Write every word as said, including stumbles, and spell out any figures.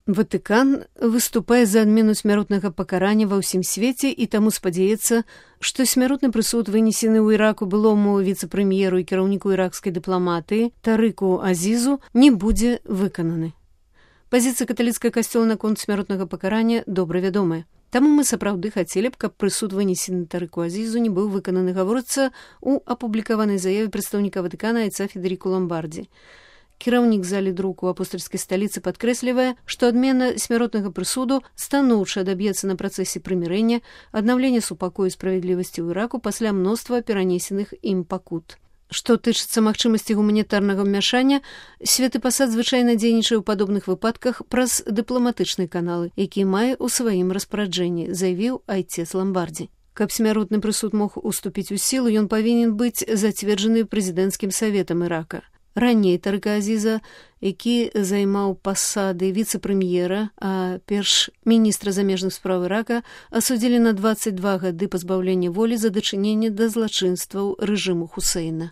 Ватыкан выступае за адмену смяротнага пакарання ва ўсім свеце і таму спадзяецца, што смяротны прысуд, вынесены ў Іраку былому віцэ-прэм'еру і кіраўніку іракскай дыпламатыі Тарыку Азізу, не будзе выкананы. Пазіцыя каталіцкага касцёла наконт смяротнага пакарання добра вядомая. Таму мы сапраўды хацелі б, каб прысуд, вынесены Тарыку Азізу, не быў выкананы, гаворыцца ў апублікаванай заяве прадстаўніка Ватыкана айца Федэріку Ламбардзі. Кіраўнік залі друку апостальскай сталіцы падкрэслівае, што адмена смяротнага прысуду станоўча адаб'ецца на працэсе прымірэння, аднаўлення супакою і справядлівасці ў Іраку пасля мноства перанесеных ім пакут. Што тычыцца магчымасці гуманітарнага ўмяшання, Святы пасад звычайна дзейнічае ў падобных выпадках праз дыпламатычныя каналы, які мае ў сваім распараджэнні, заявіў айцец Ламбардзі. Каб смяротны прысуд мог уступіць у сілу, ён павінен быць зацверджаны прэзідэнцкім саветам Ірака. Раней Тарыка Азіза, які займаў пасады віцэ-прэм'ера, а перш міністра замежных спраў Ірака, асудзілі на дваццаць два гады пазбаўлення волі за дачыненне да злачынстваў рэжыму Хусейна.